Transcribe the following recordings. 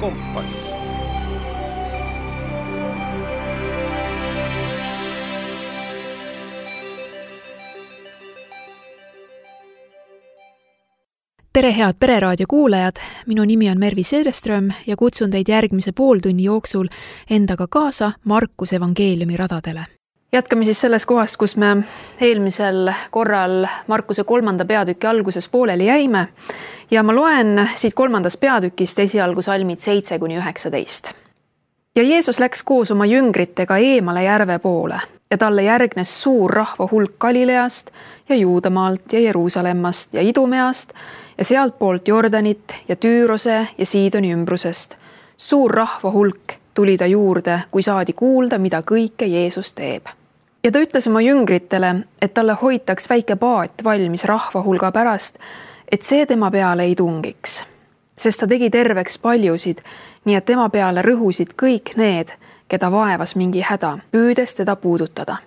kompass. Tere head Pereraadio kuulajad, minu nimi on Mervi Seereström ja kutsun teid järgmise pooltunni jooksul endaga kaasa Markuse evangeeliumi radadele. Jätkame siis selles kohast, kus me eelmisel korral Markuse 3. peatüki alguses pooleli jäime ja ma loen siit 3. peatükist esialgu salmid 7-19. Ja Jeesus läks koos oma jüngritega eemale järve poole ja talle järgnes suur rahva hulk Galileast ja Juudamaalt ja Jeruusalemmast ja Idumeast ja sealtpoolt Jordanit ja Tüürose ja Siidoni ümbrusest. Suur rahva hulk tuli ta juurde, kui saadi kuulda, mida kõike Jeesus teeb. Ja ta ütles oma jüngritele, et talle hoitaks väike paat valmis rahva hulga pärast, et see tema peale ei tungiks. Sest ta tegi terveks paljusid, nii et tema peale rõhusid kõik need, keda vaevas mingi häda, püüdes teda puudutada.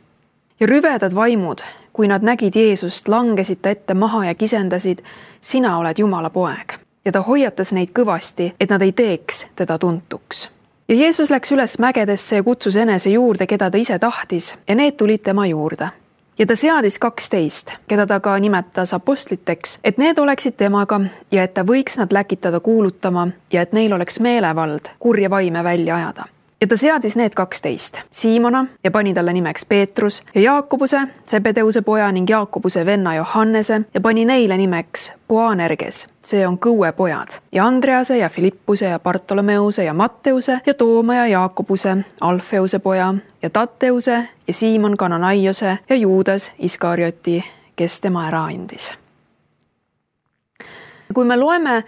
Ja rüvedad vaimud, kui nad nägid Jeesust, langesid ta ette maha ja kisendasid, sina oled Jumala poeg. Ja ta hoiatas neid kõvasti, et nad ei teeks teda tuntuks. Ja Jeesus läks üles mägedesse ja kutsus enese juurde, keda ta ise tahtis, ja need tulid tema juurde. Ja ta seadis 12, keda ta ka nimetas apostliteks, et need oleksid temaga ja et ta võiks nad läkitada kuulutama ja et neil oleks meelevald kurja vaime välja ajada. Ja ta seadis need 12, Siimona ja pani talle nimeks Peetrus ja Jaakobuse, Zebedeuse poja ning Jaakobuse venna Johannese ja pani neile nimeks Boanerges, see on Kõue pojad, ja Andrease ja Filippuse ja Bartolomeuse ja Matteuse ja Tooma ja Jaakobuse, Alfeuse poja ja Tatteuse ja Siimon Kananaiose ja Juudas Iskarioti, kes tema ära andis. Kui me loeme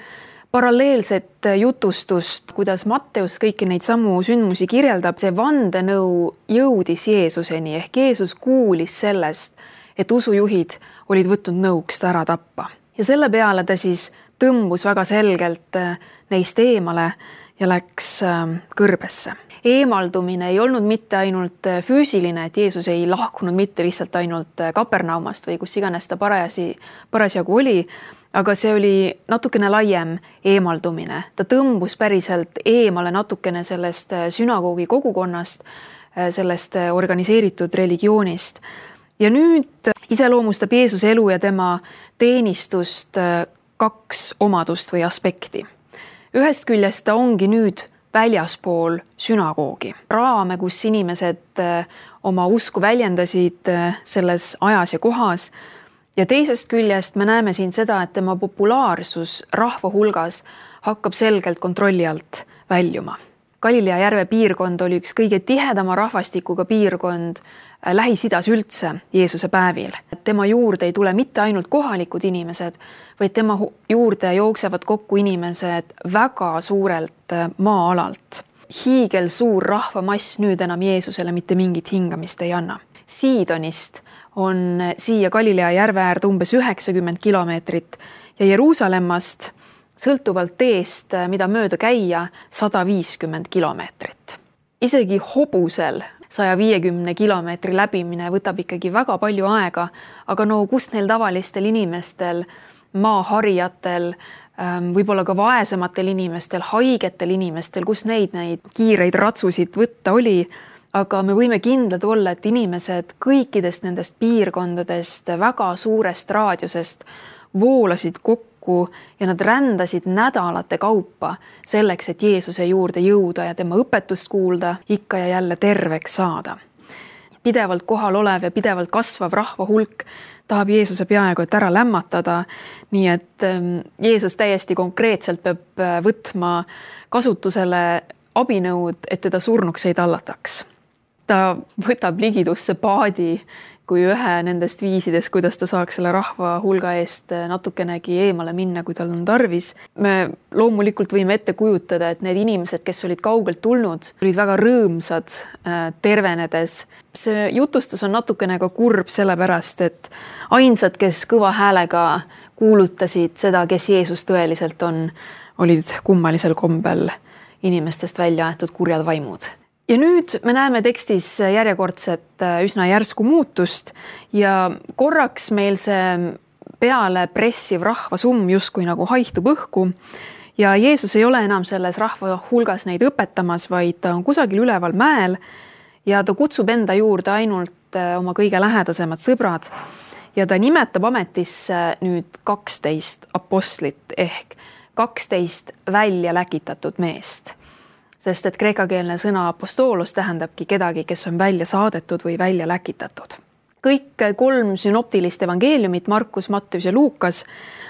paralleelset jutustust, kuidas Matteus kõiki neid samu sündmusi kirjeldab, see vandenõu jõudis Jeesuseni ehk Jeesus kuulis sellest, et usujuhid olid võtnud nõuks ta ära tappa. Ja selle peale ta siis tõmbus väga selgelt neist eemale ja läks kõrbesse. Eemaldumine ei olnud mitte ainult füüsiline, et Jeesus ei lahkunud mitte lihtsalt ainult Kapernaumast või kus iganes ta parasjagu oli, aga see oli natukene laiem eemaldumine. Ta tõmbus päriselt eemale natukene sellest sünagoogi kogukonnast, sellest organiseeritud religioonist. Ja nüüd iseloomustab Jeesuse elu ja tema teenistust 2 omadust või aspekti. Ühest küljest ta ongi nüüd väljaspool sünagoogi. Raame, kus inimesed oma usku väljendasid selles ajas ja kohas. Ja teisest küljest me näeme siin seda, et tema populaarsus rahva hulgas hakkab selgelt kontrolli alt väljuma. Galilea järve piirkond oli üks kõige tihedama rahvastikuga piirkond Lähis-Idas üldse Jeesuse päevil. Tema juurde ei tule mitte ainult kohalikud inimesed, vaid tema juurde jooksevad kokku inimesed väga suurelt maa-alalt. Hiigel suur rahvamass nüüd enam Jeesusele mitte mingit hingamist ei anna. Siidonist on siia Galilea järve äärde umbes 90 kilomeetrit ja Jeruusalemmast sõltuvalt teest, mida mööda käia, 150 kilomeetrit. Isegi hobusel 150 kilomeetri läbimine võtab ikkagi väga palju aega, aga no kust neil tavalistel inimestel, maaharijatel, võib-olla ka vaesematel inimestel, haigetel inimestel, kus neid kiireid ratsusid võtta oli, aga me võime kindlad olla, et inimesed kõikidest nendest piirkondadest, väga suurest raadiusest voolasid kokku ja nad rändasid nädalate kaupa selleks, et Jeesuse juurde jõuda ja tema õpetust kuulda, ikka ja jälle terveks saada. Pidevalt kohal olev ja pidevalt kasvav rahva hulk tahab Jeesuse peaaegu et ära lämmatada, nii et Jeesus täiesti konkreetselt peab võtma kasutusele abinõud, et teda surnuks ei tallataks. Ta võtab ligidusse paadi kui ühe nendest viisidest, kuidas ta saaks selle rahva hulga eest natukenegi eemale minna, kui tal on tarvis. Me loomulikult võime ette kujutada, et need inimesed, kes olid kaugelt tulnud, olid väga rõõmsad tervenedes. See jutustus on natukene ka kurb sellepärast, et ainsad, kes kõva häälega kuulutasid seda, kes Jeesus tõeliselt on, olid kummalisel kombel inimestest välja aetud kurjad vaimud. Ja nüüd me näeme tekstis järjekordset üsna järsku muutust ja korraks meil see peale pressiv rahvasumm justkui nagu haihtub õhku ja Jeesus ei ole enam selles rahva hulgas neid õpetamas, vaid ta on kusagil üleval mäel ja ta kutsub enda juurde ainult oma kõige lähedasemad sõbrad ja ta nimetab ametisse nüüd 12 apostlit ehk 12 välja läkitatud meest. Sest et kreekakeelne sõna apostoolos tähendabki kedagi, kes on välja saadetud või välja läkitatud. Kõik 3 sünoptilist evangeeliumit, Markus, Matteus ja Luukas,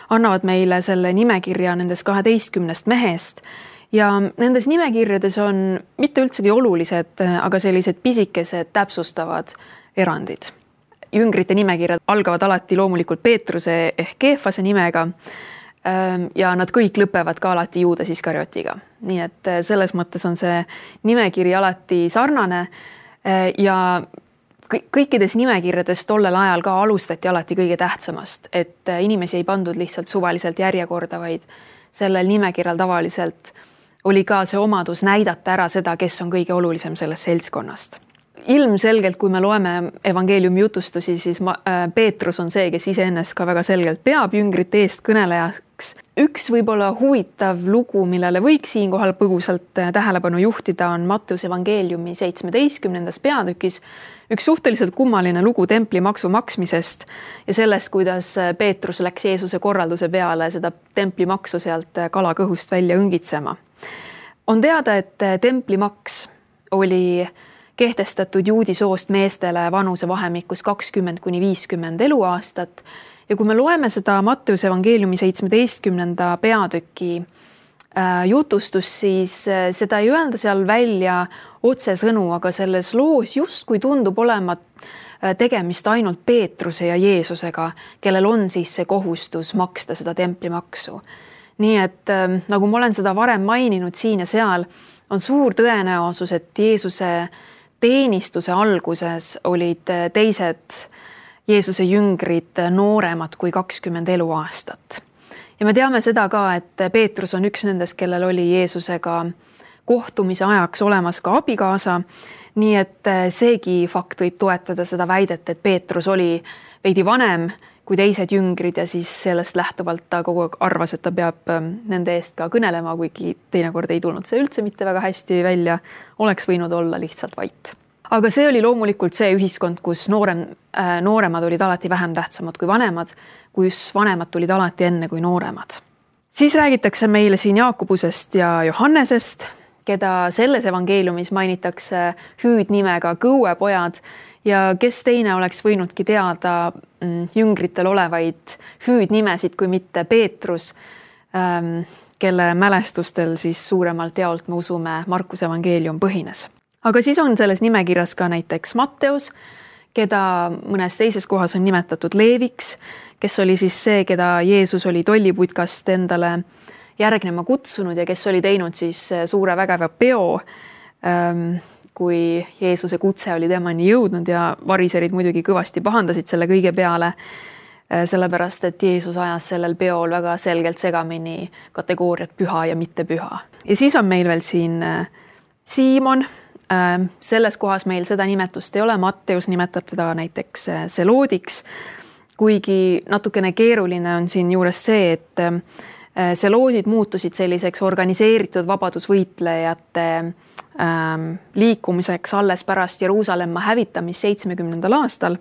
annavad meile selle nimekirja nendest 12 mehest ja nendes nimekirjades on mitte üldsegi olulised, aga sellised pisikesed täpsustavad erandid. Jüngrite nimekirjad algavad alati loomulikult Peetruse ehk Keefase nimega ja nad kõik lõpevad ka alati Juudas Iskariotiga. Nii et selles mõttes on see nimekiri alati sarnane ja kõikides nimekirjades tollel ajal ka alustati alati kõige tähtsamast, et inimesi ei pandud lihtsalt suvaliselt järjekorda, vaid sellel nimekirjal tavaliselt oli ka see omadus näidata ära seda, kes on kõige olulisem sellest seltskonnast. Ilmselgelt, kui me loeme evangeeliumi jutustusi, siis Peetrus on see, kes iseennast ka väga selgelt peab jüngrite eest kõnelejaks. Üks võib-olla huvitav lugu, millele võiks siinkohal põgusalt tähelepanu juhtida, on Matteuse evangeeliumi 17. peatükis üks suhteliselt kummaline lugu templimaksu maksmisest ja sellest, kuidas Peetrus läks Jeesuse korralduse peale seda templimaksu sealt kalakõhust välja õngitsema. On teada, et templimaks oli kehtestatud juudi soost meestele vanuse vahemikus 20–50 eluaastat ja kui me loeme seda Matteuse evangeeliumi 17. peatüki jutustust, siis seda ei öelda seal välja otsesõnu, aga selles loos justkui tundub olema tegemist ainult Peetruse ja Jeesusega, kellel on siis see kohustus maksta seda templimaksu. Nii et nagu ma olen seda varem maininud siin ja seal, on suur tõenäosus, et Jeesuse teenistuse alguses olid teised Jeesuse jüngrid nooremad kui 20 eluaastat. Ja me teame seda ka, et Peetrus on üks nendest, kellel oli Jeesusega kohtumise ajaks olemas ka abikaasa, nii et seegi fakt võib toetada seda väidet, et Peetrus oli veidi vanem kui teised jüngrid ja siis sellest lähtuvalt ta kogu aeg arvas, et ta peab nende eest ka kõnelema, kuigi teinekord ei tulnud see üldse mitte väga hästi välja, oleks võinud olla lihtsalt vait. Aga see oli loomulikult see ühiskond, kus nooremad olid alati vähem tähtsamad kui vanemad, kus vanemad tulid alati enne kui nooremad. Siis räägitakse meile siin Jaakobusest ja Johannesest, keda selles evangeeliumis mainitakse hüüdnimega kõuepojad ja kes teine oleks võinudki teada jüngritel olevaid hüüdnimesid kui mitte Peetrus, kelle mälestustel siis suuremalt jaolt me usume Markuse evangeelium põhines. Aga siis on selles nimekirjas ka näiteks Matteus, keda mõnes teises kohas on nimetatud Leeviks, kes oli siis see, keda Jeesus oli tolliputkast endale järgnema kutsunud ja kes oli teinud siis suure vägeva peo, kui Jeesuse kutse oli temani jõudnud ja variserid muidugi kõvasti pahandasid selle kõige peale, sellepärast et Jeesus ajas sellel peol väga selgelt segamini kategooriat püha ja mitte püha. Ja siis on meil veel siin Siimon, selles kohas meil seda nimetust ei ole, Matteus nimetab teda näiteks Seloodiks, kuigi natukene keeruline on siin juures see, et Seloodid muutusid selliseks organiseeritud vabadusvõitlejate liikumiseks alles pärast Jeruusalemma hävitamist 70. aastal,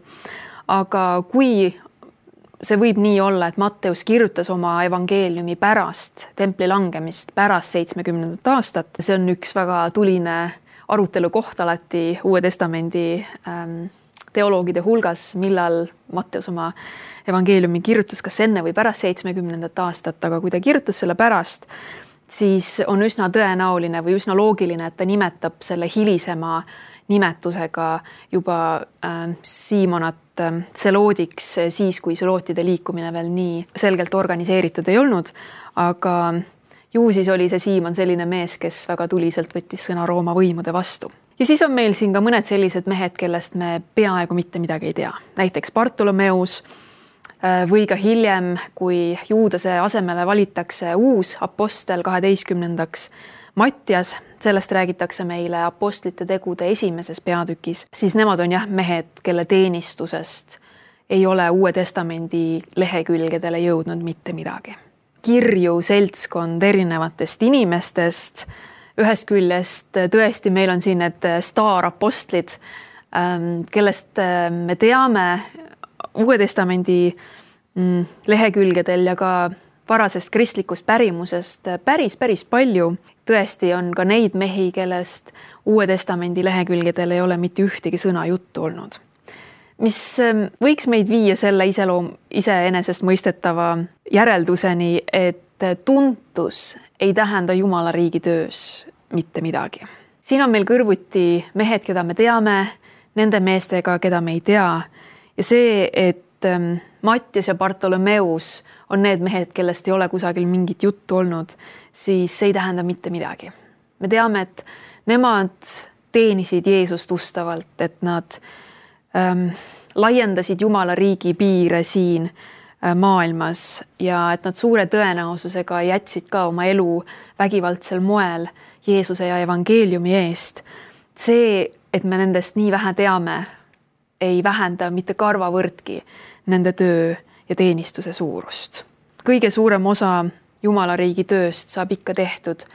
aga kui see võib nii olla, et Matteus kirjutas oma evangeeliumi pärast templi langemist, pärast 70. aastat, see on üks väga tuline arutelu koht alati Uue Testamendi teoloogide hulgas, millal Matteus oma evangeeliumi kirjutas, kas enne või pärast 70. aastat, aga kui ta kirjutas selle pärast, siis on üsna tõenäoline või üsna loogiline, et ta nimetab selle hilisema nimetusega juba Siimonat Seloodiks siis, kui selootide liikumine veel nii selgelt organiseeritud ei olnud, aga ju siis oli see Siimon selline mees, kes väga tuliselt võttis sõna Rooma võimude vastu. Ja siis on meil siin ka mõned sellised mehed, kellest me peaaegu mitte midagi ei tea. Näiteks Bartolomeus või ka hiljem, kui Juudase asemele valitakse uus apostel 12. Mattias, sellest räägitakse meile apostlite tegude 1. peatükis, siis nemad on jah mehed, kelle teenistusest ei ole Uue Testamendi lehekülgedele jõudnud mitte midagi. kirju seltskond erinevatest inimestest. Ühest küljest tõesti meil on siin need staarapostlid, kellest me teame Uue Testamendi lehekülgedel ja ka varasest kristlikust pärimusest päris palju. Tõesti on ka neid mehi, kellest Uue Testamendi lehekülgedel ei ole mitte ühtegi sõna juttu olnud. Mis võiks meid viia selle iseenesest mõistetava järelduseni, et tuntus ei tähenda Jumala riigi töös mitte midagi. Siin on meil kõrvuti mehed, keda me teame, nende meestega, keda me ei tea. Ja see, et Mattias ja Bartolomeus on need mehed, kellest ei ole kusagil mingit juttu olnud, siis see ei tähenda mitte midagi. Me teame, et nemad teenisid Jeesust ustavalt, et nad laiendasid Jumala riigi piire siin maailmas ja et nad suure tõenäosusega jätsid ka oma elu vägivaldsel moel Jeesuse ja evangeeliumi eest. See, et me nendest nii vähe teame, ei vähenda mitte karvavõrdki nende töö ja teenistuse suurust. Kõige suurem osa Jumala riigi tööst saab ikka tehtud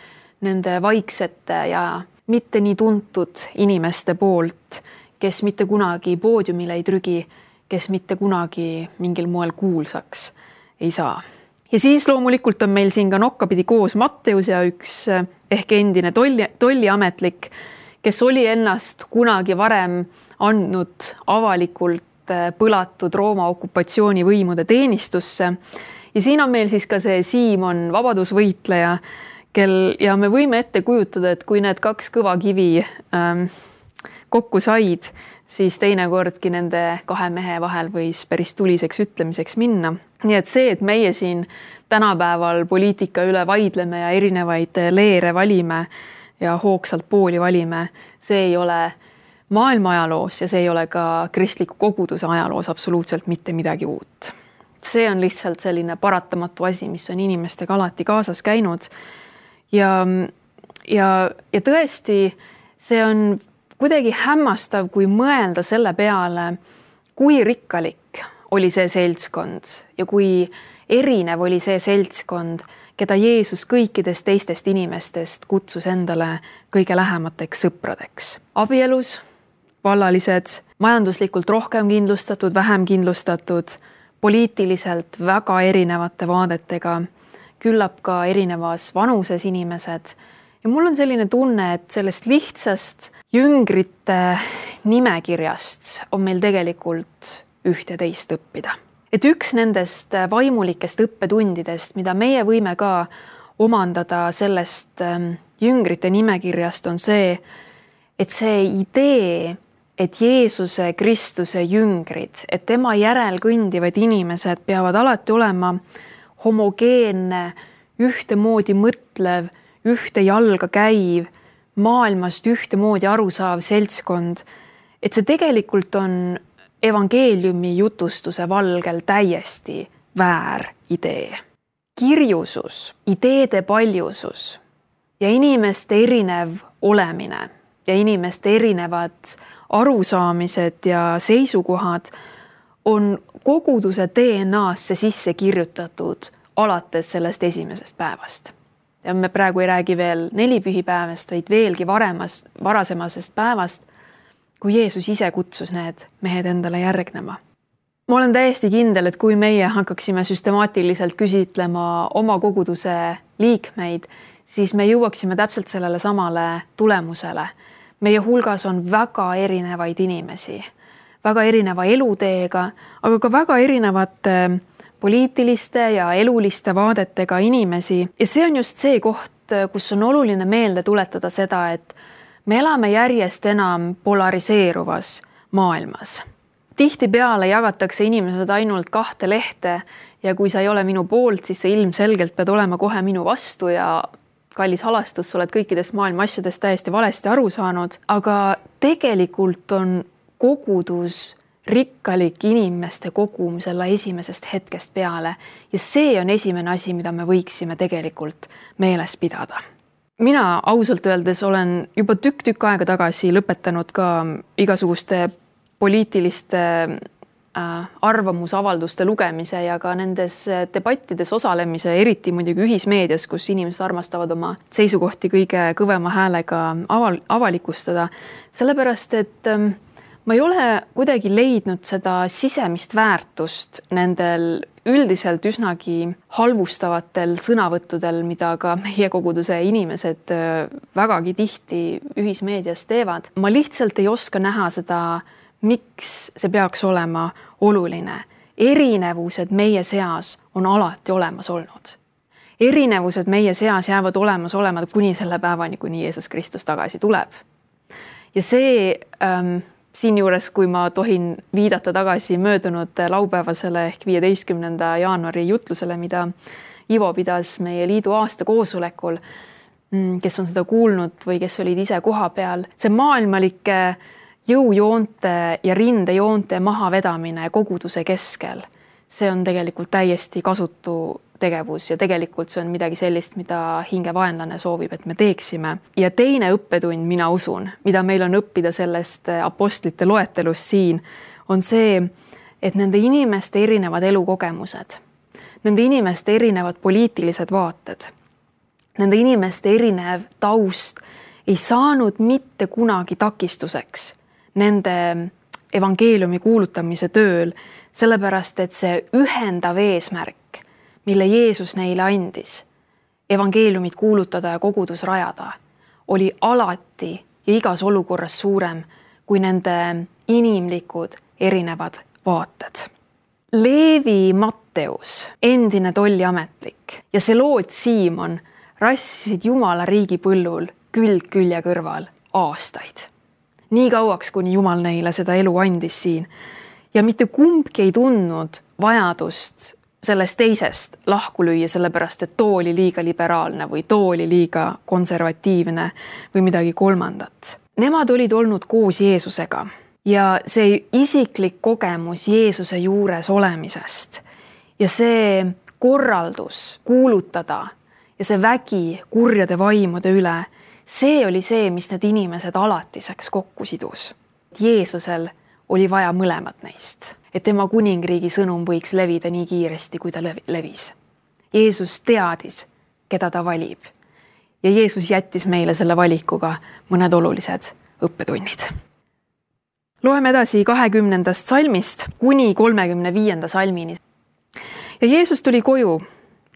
nende vaiksete ja mitte nii tuntud inimeste poolt, kes mitte kunagi poodiumile ei trügi, kes mitte kunagi mingil moel kuulsaks ei saa. Ja siis loomulikult on meil siin ka nokkapidi koos Matteus ja üks ehk endine tolliametlik, kes oli ennast kunagi varem andnud avalikult põlatud Rooma okupatsioonivõimude teenistusse. Ja siin on meil siis ka see Siimon vabadusvõitleja, ja me võime ette kujutada, et kui need kaks kõva kivi kokku said, siis teinekordki nende kahe mehe vahel võis päris tuliseks ütlemiseks minna. Nii et see, et meie siin tänapäeval poliitika üle vaidleme ja erinevaid leere valime ja hoogsalt pooli valime, see ei ole maailma ajaloos ja see ei ole ka kristliku koguduse ajaloos absoluutselt mitte midagi uut. See on lihtsalt selline paratamatu asi, mis on inimestega alati kaasas käinud. Ja tõesti, see on kuidagi hämmastav, kui mõelda selle peale, kui rikkalik oli see seltskond ja kui erinev oli see seltskond, keda Jeesus kõikidest teistest inimestest kutsus endale kõige lähemateks sõpradeks. Abielus, vallalised, majanduslikult rohkem kindlustatud, vähem kindlustatud, poliitiliselt väga erinevate vaadetega, küllap ka erinevas vanuses inimesed. Ja mul on selline tunne, et sellest lihtsast jüngrite nimekirjast on meil tegelikult üht ja teist õppida. Et üks nendest vaimulikest õppetundidest, mida meie võime ka omandada sellest jüngrite nimekirjast, on see, et see idee, et Jeesuse Kristuse jüngrid, et tema järel kõndivad inimesed peavad alati olema homogeenne, ühtemoodi mõtlev, ühte jalga käiv, maailmast ühtemoodi arusaav seltskond, et see tegelikult on evangeeliumi jutustuse valgel täiesti väär idee. Kirjusus, ideede paljusus ja inimeste erinev olemine ja inimeste erinevad arusaamised ja seisukohad on koguduse DNA-sse sisse kirjutatud alates sellest esimesest päevast. Ja me praegu ei räägi veel nelipühipäevast, vaid veelgi varasemasest päevast, kui Jeesus ise kutsus need mehed endale järgnema. Ma olen täiesti kindel, et kui meie hakkaksime süstemaatiliselt küsitlema oma koguduse liikmeid, siis me jõuaksime täpselt sellele samale tulemusele. Meie hulgas on väga erinevaid inimesi, väga erineva eluteega, aga ka väga erinevate poliitiliste ja eluliste vaadetega inimesi. Ja see on just see koht, kus on oluline meelde tuletada seda, et me elame järjest enam polariseeruvas maailmas. Tihtipeale jagatakse inimesed ainult 2 lehte ja kui sa ei ole minu poolt, siis sa ilmselgelt pead olema kohe minu vastu ja kallis halastus, sa oled kõikidest maailma asjadest täiesti valesti aru saanud. Aga tegelikult on kogudus rikkalik inimeste kogum selle esimesest hetkest peale ja see on esimene asi, mida me võiksime tegelikult meeles pidada. Mina ausalt öeldes olen juba tükk aega tagasi lõpetanud ka igasuguste poliitiliste arvamusavalduste lugemise ja ka nendes debattides osalemise, eriti muidugi ühismeedias, kus inimesed armastavad oma seisukohti kõige kõvema häälega avalikustada. Sellepärast, et ma ei ole kuidagi leidnud seda sisemist väärtust nendel üldiselt üsnagi halvustavatel sõnavõttudel, mida ka meie koguduse inimesed vägagi tihti ühismeedias teevad. Ma lihtsalt ei oska näha seda, miks see peaks olema oluline. Erinevused meie seas on alati olemas olnud. Erinevused meie seas jäävad olemas olema kuni selle päevani, kuni Jeesus Kristus tagasi tuleb. Ja see siinjuures, kui ma tohin viidata tagasi möödunud laupäevasele ehk 15. jaanuari jutlusele, mida Ivo pidas meie liidu aasta koosolekul, kes on seda kuulnud või kes olid ise koha peal, see maailmalike jõujoonte ja rindejoonte mahavedamine koguduse keskel, see on tegelikult täiesti kasutu tegevus ja tegelikult see on midagi sellist, mida hingevaenlane soovib, et me teeksime. Ja teine õppetund, mina usun, mida meil on õppida sellest apostlite loetelust siin, on see, et nende inimeste erinevad elukogemused, nende inimeste erinevad poliitilised vaated, nende inimeste erinev taust ei saanud mitte kunagi takistuseks nende evangeeliumi kuulutamise tööl, sellepärast et see ühendav eesmärk, mille Jeesus neile andis, evangeeliumit kuulutada ja kogudus rajada, oli alati ja igas olukorras suurem kui nende inimlikud erinevad vaated. Leevi Matteus, endine tolliametlik ja Seloot Siimon rassisid Jumala riigi põllul külg külje kõrval aastaid. Nii kauaks, kuni Jumal neile seda elu andis siin. Ja mitte kumbki ei tundnud vajadust sellest teisest lahku lüüa, sellepärast, et too oli liiga liberaalne või too oli liiga konservatiivne või midagi kolmandat. Nemad olid olnud koos Jeesusega ja see isiklik kogemus Jeesuse juures olemisest ja see korraldus kuulutada ja see vägi kurjade vaimude üle, see oli see, mis need inimesed alatiseks kokku sidus. Jeesusel oli vaja mõlemat neist, et tema kuningriigi sõnum võiks levida nii kiiresti, kui ta levis. Jeesus teadis, keda ta valib. Ja Jeesus jättis meile selle valikuga mõned olulised õppetunnid. Loeme edasi 20. salmist kuni 35. salmini. Ja Jeesus tuli koju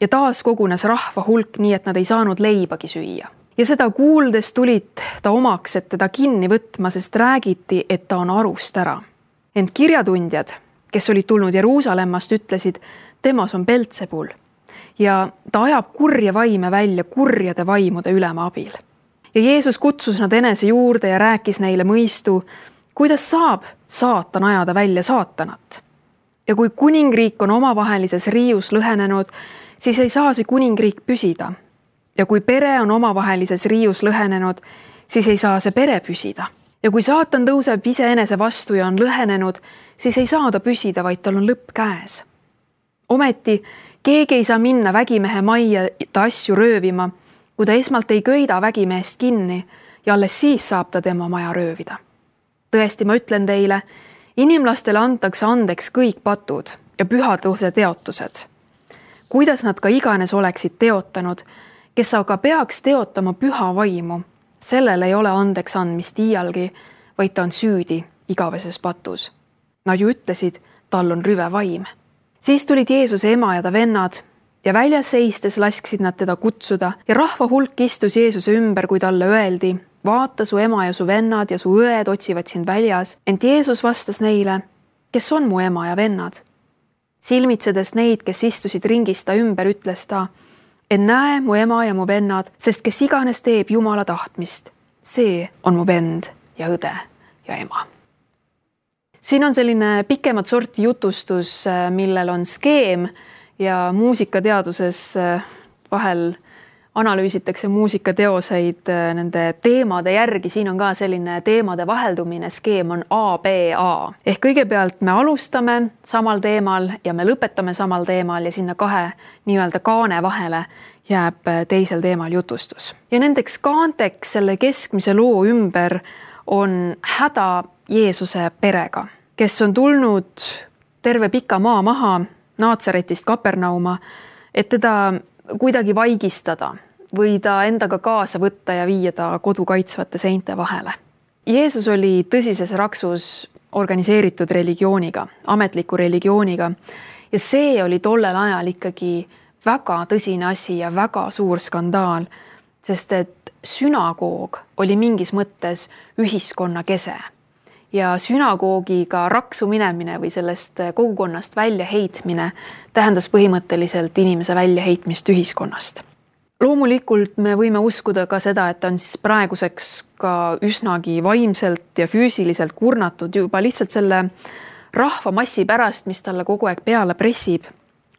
ja taas kogunes rahva hulk nii, et nad ei saanud leibagi süüa. Ja seda kuuldes tulid ta omaks, et teda kinni võtma, sest räägiti, et ta on arust ära. Ent kirjatundjad, kes olid tulnud Jeruusalemmast, ütlesid, temas on Beltsebul ja ta ajab kurja vaime välja kurjade vaimude ülema abil. Ja Jeesus kutsus nad enese juurde ja rääkis neile mõistu, kuidas saab saatan ajada välja saatanat. Ja kui kuningriik on omavahelises riius lõhenenud, siis ei saa see kuningriik püsida. Ja kui pere on omavahelises riius lõhenenud, siis ei saa see pere püsida. Ja kui saatan tõuseb iseenese vastu ja on lõhenenud, siis ei saa ta püsida, vaid tal on lõpp käes. Ometi keegi ei saa minna vägimehe majja ta asju röövima, kui ta esmalt ei köida vägimehest kinni ja alles siis saab ta tema maja röövida. Tõesti, ma ütlen teile, inimlastele antakse andeks kõik patud ja pühaduse teotused. Kuidas nad ka iganes oleksid teotanud, kes aga peaks teotama püha vaimu, sellel ei ole andeks andmist iialgi, vaid ta on süüdi igaveses patus. Nad ju ütlesid, tal on rüve vaim. Siis tulid Jeesuse ema ja ta vennad ja väljas seistes lasksid nad teda kutsuda ja rahva hulk istus Jeesuse ümber, kui talle öeldi, vaata, su ema ja su vennad ja su õed otsivad sind väljas, ent Jeesus vastas neile, kes on mu ema ja vennad. Silmitsedes neid, kes istusid ringis ta ümber, ütles ta, en näe mu ema ja mu vennad, sest kes iganes teeb Jumala tahtmist, see on mu vend ja õde ja ema. Siin on selline pikemat sorti jutustus, millel on skeem ja muusikateaduses vahel analüüsitakse muusikateoseid nende teemade järgi. Siin on ka selline teemade vaheldumine, skeem on ABA. Ehk kõigepealt me alustame samal teemal ja me lõpetame samal teemal ja sinna kahe nii-öelda kaane vahele jääb teisel teemal jutustus. Ja nendeks kaanteks selle keskmise loo ümber on häda Jeesuse perega, kes on tulnud terve pika maa maha Naatsaretist Kapernauma, et teda kuidagi vaigistada või ta endaga kaasa võtta ja viia ta kodu kaitsvate seinte vahele. Jeesus oli tõsises raksus organiseeritud religiooniga, ametliku religiooniga ja see oli tollel ajal ikkagi väga tõsine asi ja väga suur skandaal, sest et sünagoog oli mingis mõttes ühiskonna kese ja sünagoogiga raksu minemine või sellest kogukonnast väljaheitmine tähendas põhimõtteliselt inimese väljaheitmist ühiskonnast. Loomulikult me võime uskuda ka seda, et ta on siis praeguseks ka üsnagi vaimselt ja füüsiliselt kurnatud juba lihtsalt selle rahvamassi pärast, mis talle kogu aeg peale pressib,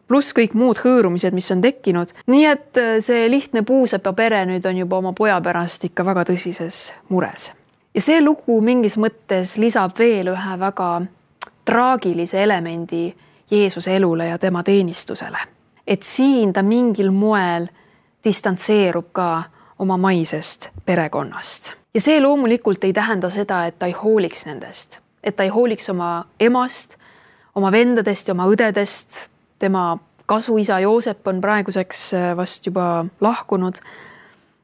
pluss kõik muud hõõrumised, mis on tekkinud. Nii et see lihtne puusepa pere nüüd on juba oma poja pärast ikka väga tõsises mures. Ja see lugu mingis mõttes lisab veel ühe väga traagilise elemendi Jeesuse elule ja tema teenistusele. Et siin ta mingil moel distantseerub ka oma maisest perekonnast. Ja see loomulikult ei tähenda seda, et ta ei hooliks nendest, et ta ei hooliks oma emast, oma vendadest ja oma õdedest. Tema kasuisa Joosep on praeguseks vast juba lahkunud,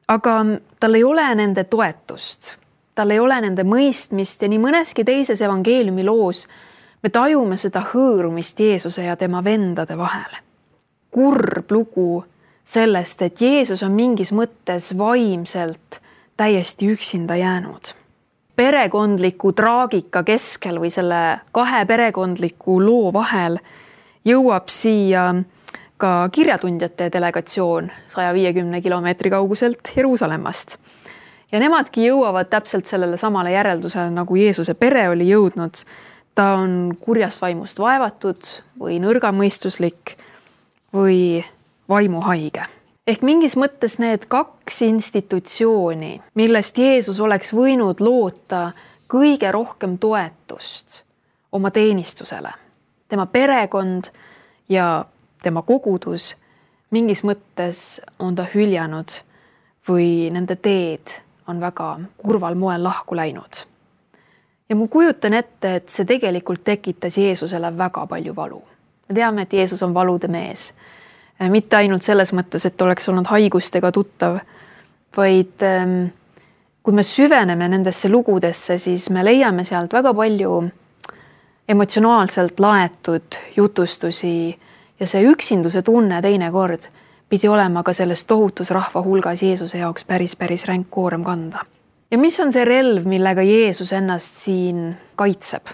aga tal ei ole nende toetust, tal ei ole nende mõistmist ja nii mõneski teises evangeeliumi loos me tajume seda hõõrumist Jeesuse ja tema vendade vahel. Kurb lugu sellest, et Jeesus on mingis mõttes vaimselt täiesti üksinda jäänud. Perekondliku traagika keskel või selle kahe perekondliku loo vahel jõuab siia ka kirjatundjate delegatsioon 150 kilomeetri kauguselt Jeruusalemmast. Ja nemadki jõuavad täpselt sellele samale järeldusele, nagu Jeesuse pere oli jõudnud. Ta on kurjast vaimust vaevatud või nõrgamõistuslik või vaimuhaige. Ehk mingis mõttes need kaks institutsiooni, millest Jeesus oleks võinud loota kõige rohkem toetust oma teenistusele. Tema perekond ja tema kogudus mingis mõttes on ta hüljanud või nende teed on väga kurval moel lahku läinud. Ja ma kujutan ette, et see tegelikult tekitas Jeesusele väga palju valu. Me teame, et Jeesus on valude mees. Mitte ainult selles mõttes, et oleks olnud haigustega tuttav, vaid kui me süveneme nendesse lugudesse, siis me leiame sealt väga palju emotsionaalselt laetud jutustusi ja see üksinduse tunne teinekord pidi olema ka selles tohutus rahva hulgas Jeesuse jaoks päris ränk koorem kanda. Ja mis on see relv, millega Jeesus ennast siin kaitseb?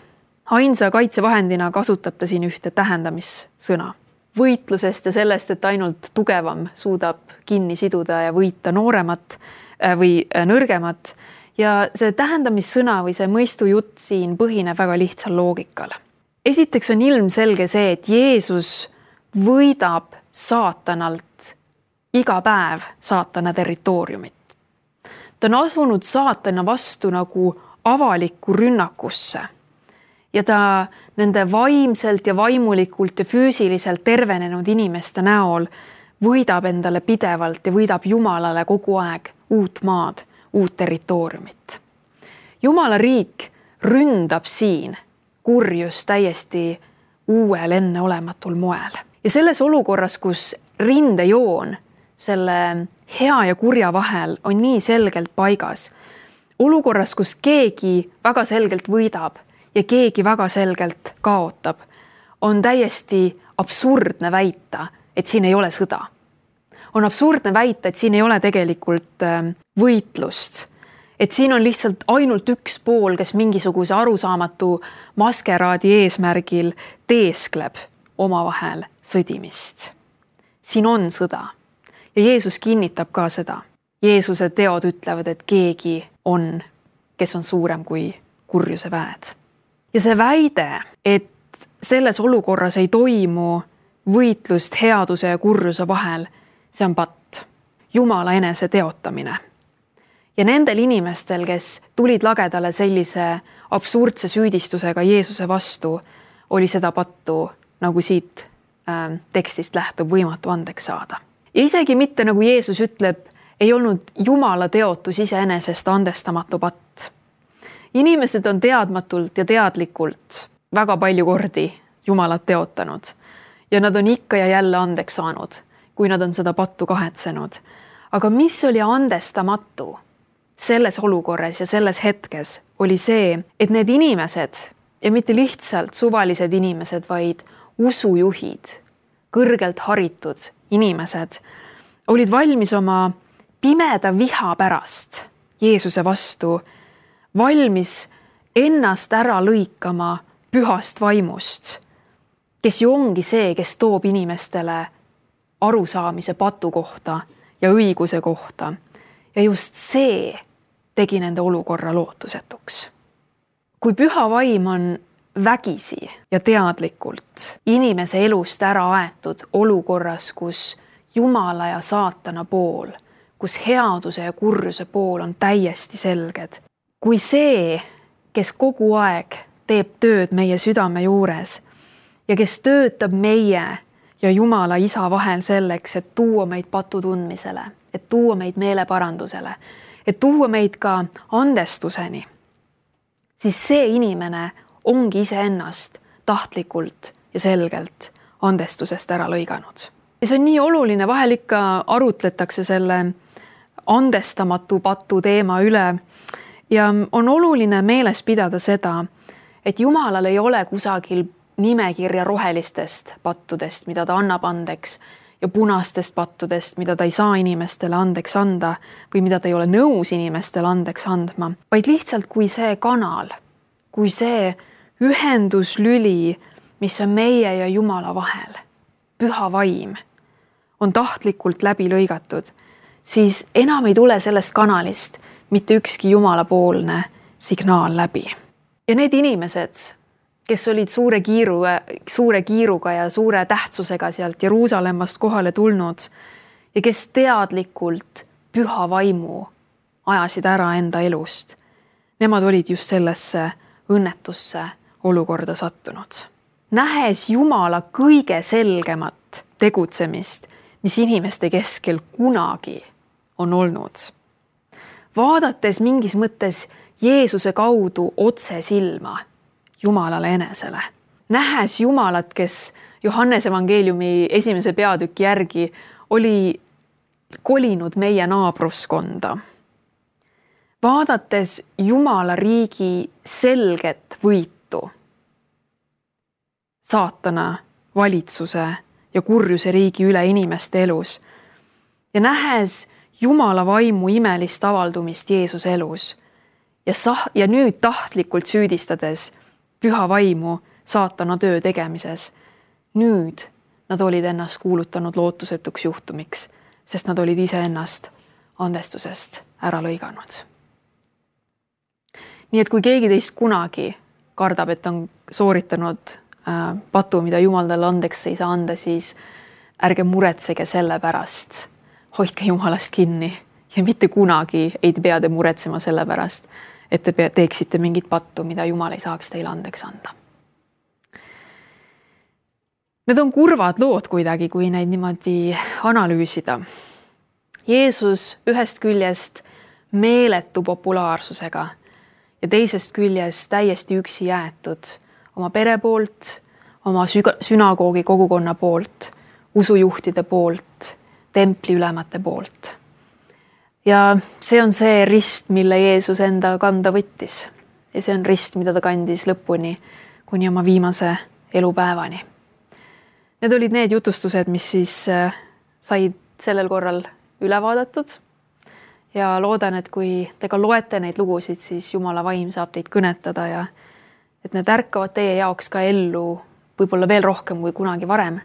Ainsa kaitsevahendina kasutab ta siin ühte tähendamissõna. Võitlusest ja sellest, et ainult tugevam suudab kinni siduda ja võita nooremat või nõrgemat. Ja see tähendamissõna või see mõistujutt siin põhineb väga lihtsal loogikal. Esiteks on ilmselge see, et Jeesus võidab saatanalt iga päev saatana territooriumit. Ta on asunud saatana vastu nagu avalikku rünnakusse. Ja ta nende vaimselt ja vaimulikult ja füüsiliselt tervenenud inimeste näol võidab endale pidevalt ja võidab Jumalale kogu aeg uut maad, uut territooriumit. Jumala riik ründab siin kurjus täiesti uuel enneolematul moel. Ja selles olukorras, kus rindejoon selle hea ja kurja vahel on nii selgelt paigas, olukorras, kus keegi väga selgelt võidab ja keegi väga selgelt kaotab, on täiesti absurdne väita, et siin ei ole sõda. On absurdne väita, et siin ei ole tegelikult võitlust. Et siin on lihtsalt ainult üks pool, kes mingisuguse arusaamatu maskeraadi eesmärgil teeskleb omavahel sõdimist. Siin on sõda. Ja Jeesus kinnitab ka seda. Jeesuse teod ütlevad, et keegi on, kes on suurem kui kurjuse väed. Ja see väide, et selles olukorras ei toimu võitlust headuse ja kurjuse vahel, see on patt. Jumala enese teotamine. Ja nendel inimestel, kes tulid lagedale sellise absurdse süüdistusega Jeesuse vastu, oli seda pattu, nagu siit tekstist lähtub, võimatu andeks saada. Ja isegi mitte, nagu Jeesus ütleb, ei olnud Jumala teotus iseenesest andestamatu patt. Inimesed on teadmatult ja teadlikult väga palju kordi Jumalat teotanud ja nad on ikka ja jälle andeks saanud, kui nad on seda pattu kahetsenud. Aga mis oli andestamatu selles olukorras ja selles hetkes, oli see, et need inimesed ja mitte lihtsalt suvalised inimesed, vaid usujuhid, kõrgelt haritud inimesed, olid valmis oma pimeda viha pärast Jeesuse vastu, valmis ennast ära lõikama pühast vaimust, kes ju ongi see, kes toob inimestele arusaamise patu kohta ja õiguse kohta. Ja just see tegi nende olukorra lootusetuks. Kui püha vaim on vägisi ja teadlikult inimese elust ära aetud olukorras, kus Jumala ja saatana pool, kus headuse ja kurjuse pool on täiesti selged. Kui see, kes kogu aeg teeb tööd meie südame juures ja kes töötab meie ja Jumala Isa vahel selleks, et tuua meid patu tundmisele, et tuua meid meeleparandusele, et tuua meid ka andestuseni, siis see inimene ongi iseennast tahtlikult ja selgelt andestusest ära lõiganud. Ja see on nii oluline, vahel ikka arutletakse selle andestamatu patu teema üle ja on oluline meeles pidada seda, et Jumalal ei ole kusagil nimekirja rohelistest pattudest, mida ta annab andeks, ja punastest pattudest, mida ta ei saa inimestele andeks anda või mida ta ei ole nõus inimestele andeks andma, vaid lihtsalt kui see kanal, kui see ühenduslüli, mis on meie ja Jumala vahel, püha vaim, on tahtlikult läbi lõigatud, siis enam ei tule sellest kanalist mitte ükski Jumalapoolne signaal läbi. Ja need inimesed, kes olid suure kiiruga ja suure tähtsusega sealt Jeruusalemmast kohale tulnud ja kes teadlikult püha vaimu ajasid ära enda elust, nemad olid just sellesse õnnetusse olukorda sattunud. Nähes Jumala kõige selgemat tegutsemist, mis inimeste keskel kunagi on olnud. Vaadates mingis mõttes Jeesuse kaudu otse silma Jumalale enesele. Nähes Jumalat, kes Johannese evangeeliumi 1. peatüki järgi oli kolinud meie naabruskonda. Vaadates Jumala riigi selget võitu saatana valitsuse ja kurjuse riigi üle inimeste elus ja nähes Jumala vaimu imelist avaldumist Jeesuse elus ja nüüd tahtlikult süüdistades püha vaimu saatana töö tegemises, nüüd nad olid ennast kuulutanud lootusetuks juhtumiks, sest nad olid ise ennast andestusest ära lõiganud. Nii et kui keegi teist kunagi kardab, et on sooritanud patu, mida Jumal talle andeks ei saa anda, siis ärge muretsege selle pärast. Hoidke Jumalast kinni ja mitte kunagi ei pea te muretsema selle pärast, et te teeksite mingit pattu, mida Jumal ei saaks teile andeks anda. Need on kurvad lood kuidagi, kui neid niimoodi analüüsida. Jeesus ühest küljest meeletu populaarsusega ja teisest küljest täiesti üksi jäetud oma pere poolt, oma sünagoogi kogukonna poolt, usujuhtide poolt, templiülemate poolt. Ja see on see rist, mille Jeesus enda kanda võttis. Ja see on rist, mida ta kandis lõpuni kuni oma viimase elupäevani. Need olid need jutustused, mis siis said sellel korral üle vaadatud. Ja loodan, et kui te ka loete neid lugusid, siis Jumala vaim saab teid kõnetada ja et need ärkavad teie jaoks ka ellu võib-olla veel rohkem kui kunagi varem.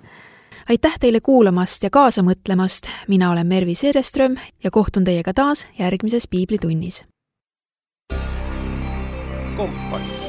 Aitäh teile kuulamast ja kaasa mõtlemast. Mina olen Mervi Sereström ja kohtun teiega taas järgmises Piiblitunnis. Kompass.